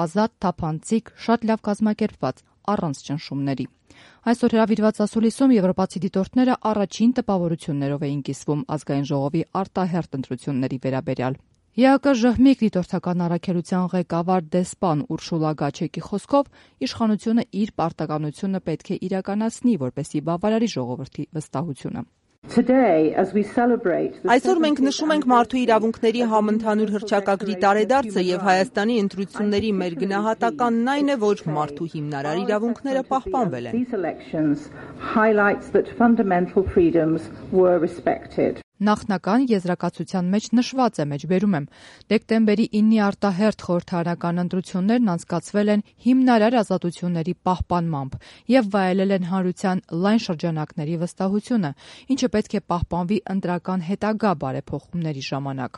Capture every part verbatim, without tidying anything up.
ազատ, թափանցիկ, շատ լավ կազմակերպված, առանց ճնշումների։ Այսօր հրավիրված ասուլիսում եվրոպացի դիտորդները առաջին տպավորություններով էին կիսվում ազգային ժողովի արտահերթ ընտրությունների վերաբերյալ։ ԵԱԿ ժհմիկ դիտորդական առաքելության ղեկավար դեսպան Ուրշուլա Գաչեկի խոսքով իշխանությունը իր պարտականությունը պետք է իրականացնի, որպեսզի բավարարի ժողովրդի վստահությունը։ Այսօր մենք նշում ենք մարդու իրավունքների համընդհանուր հռչակագրի տարեդարձը եւ Հայաստանի ընտրությունների մեր գնահատականն այն է, որ մարդու հիմնարար իրավունքները պահպանվել են։ Նախնական եզրակացության մեջ նշված է, մեջբերում եմ, դեկտեմբերի իննի արտահերթ խորհրդարանական ընտրություններն անցկացվել են հիմնարար ազատությունների պահպանմամբ եւ վայելել են հանրության լայն շրջանակների վստահությունը, ինչը պետք է պահպանվի ընտրական հետագա բարեփոխումների ժամանակ։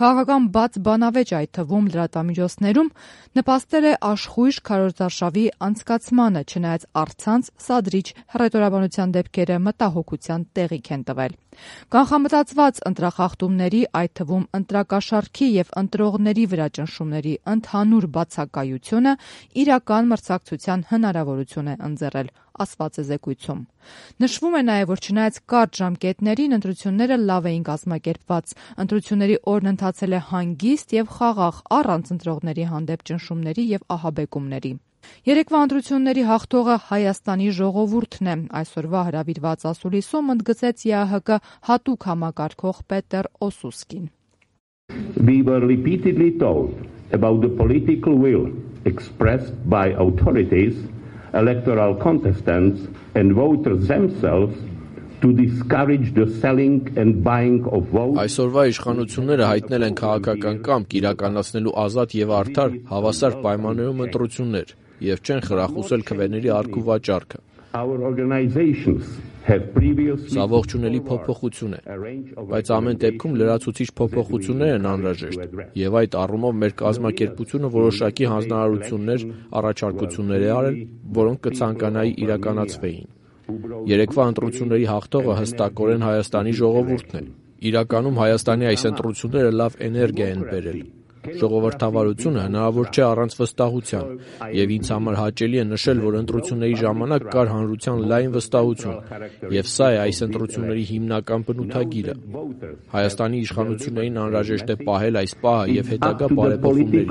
Քաղաքական բաց բանավեճ, այդ թվում լրատվամիջոցներում, նպաստել է աշխույժ քարոզարշավի անցկացմանը, չնայած առցանց սադրիչ հռետորաբանության դեպքերը մտահոգության տեղիք են տվել։ Կանխամտածված ընտրախախտումների, այդ թվում ընտրակաշառքի եւ ընտրողների վրա ճնշումների ընդհանուր բացակայությունը իրական մրցակցության հնարավորություն է ընձեռել, ասված է զեկույցում։ Նշվում է նաեւ, որ չնայած կարճ ժամկետներին ընտրությունները լավ էին կազմակերպված, ընտրությունների օրն ընթացել է հանգիստ եւ խաղաղ, առանց ընտրողների հանդեպ ճնշումների եւ ահաբեկումների։ Երեկվա ընտրությունների հաղթողը Հայաստանի ժողովուրդն է, այսօրվա հրավիրված ասուլիսում ընդգծեց ԵԱՀԿ հատուկ համակարգող Պետեր Օսուսկին։ We were repeatedly told about the political will expressed by authorities, electoral contestants and voters themselves to discourage the selling and buying of votes. Այսօրվա իշխանությունները հայտնել են քաղաքական կամք իրականացնելու ազատ եւ արդար հավասար պայմաններում ընտրություններ եւ չեն խրախուսել քվեների առք ու վաճառքը։ Our organizations have previously Սա ողջունելի փոփոխություն է, բայց ամեն դեպքում լրացուցիչ փոփոխություններ են անհրաժեշտ եւ այդ առումով մեր կազմակերպությունը որոշակի հանձնարարություններ, առաջարկություններ է արել, որոնք կցանկանայի իրականացվեին։ Երեկվա ընտրությունների հաղթողը հստակորեն Հայաստանի ժողովուրդն է։ Իրականում Հայաստանի այս ընտրությունները լավ էներգիա են բերել։ Ժողովրդավարությունը հնարավոր չէ առանց վստահության, եւ ինձ համար հաճելի է նշել, որ ընտրությունների ժամանակ կար հանրության լայն վստահություն, եւ սա է այս ընտրությունների հիմնական բնութագիրը։ Հայաստանի իշխանություններին անհրաժեշտ է պահել այս պահը եւ հետագա բարեփոխումներ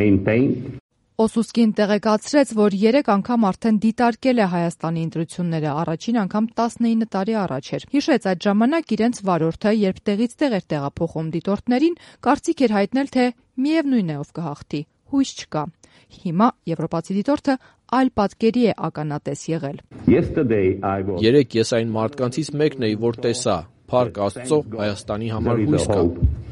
իրականացնել։ Օսուսկին տեղեկացրեց, որ երեք անգամ արդեն դիտարկել է Հայաստանի ընտրությունները, առաջին անգամ տասնինը տարի առաջ էր։ Հիշեց այդ ժամանակ իրենց վարորդը, երբ տեղից տեղ էր տեղափոխում դիտորդներին, կարծիք էր հայտնել, թե միևնույն է ով կհաղթի, հույս չկա։ Հիմա եվրոպացի դիտորդը այլ պատկերի է ականատես եղել։ Երեք ես այն մարդկանցից մեկն էի, որ տեսա, Փառք Աստծո, Հայաստանի համար հույս կա։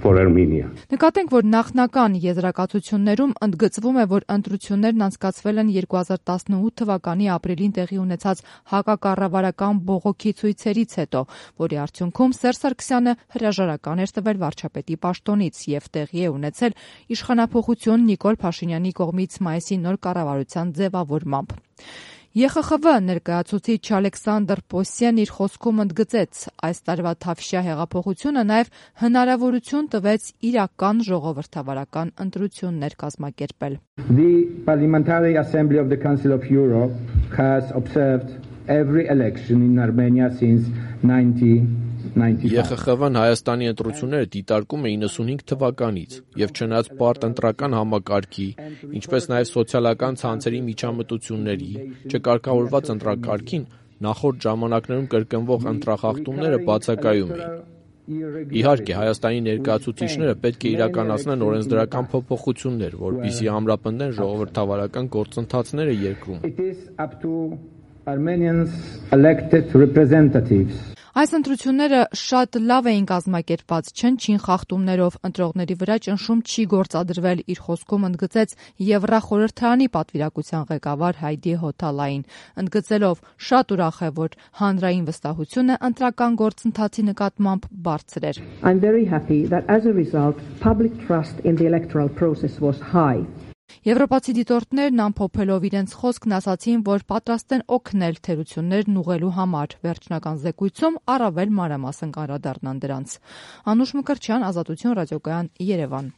Նկատենք, որ նախնական եզրակացություններում ընդգծվում է, որ ընտրություններն անցկացվել են երկու հազար տասնութ թվականի ապրիլին տեղի ունեցած հակակառավարական բողոքի ցույցերից հետո, որի արդյունքում Սերժ Սարգսյանը հրաժարական էր տվել վարչապետի պաշտոնից եւ տեղի է ունեցել իշխանափոխություն Նիկոլ Փաշինյանի կողմից մայիսի նոր կառավարության ձևավորմամբ։ ԵԽԽՎ ներկայացուցիչ Ալեքսանդր Պոսյեն իր խոսքում ընդգծեց, այս տարվա Թավշյա հեղափոխությունը նաև հնարավորություն տվեց իրական ժողովրդավարական ընտրություններ կազմակերպել։ The Parliamentary Assembly of the Council of Europe has observed every election in Armenia since nineteen ninety-five. ԵԽԽՎ-ն Հայաստանի ընտրությունները դիտարկում է իննսունհինգ թվականից եւ չնայած բարդ ընտրական համակարգի, ինչպես նաեւ սոցիալական ցանցերի միջամտությունների, չկարգավորված ընտրակարգին, նախորդ ժամանակներում կրկնվող ընտրախախտումները բացակայում էին։ Իհարկե, Հայաստանի ներկայացուցիչները պետք է իրականացնեն օրենսդրական փոփոխություններ, որպեսզի ամրապնդեն ժողովրդավարական գործընթացները երկրում։ Armenians elected representatives. Այս ընտրությունները շատ լավ էին կազմակերպված, չնչին խախտումներով, ընտրողների վրա ճնշում չի գործադրվել, իր խոսքում ընդգծեց Եվրախորհրդարանի պատվիրակության ղեկավար Հայդի Հոթալային, ընդգծելով շատ ուրախ է, որ հանրային վստահությունը ընտրական գործընթացի նկատմամբ բարձր էր։ I'm very happy that as a result public trust in the electoral process was high. Եվրոպացի դիտորդներն ամփոփելով իրենց խոսքն ասացին, որ պատրաստ են օգնել թերություններն ուղղելու համար, վերջնական զեկույցում առավել մանրամասն կանդրադառնան դրանց։ Անուշ Մկրտչյան, Ազատություն ռադիոկայան, Երևան։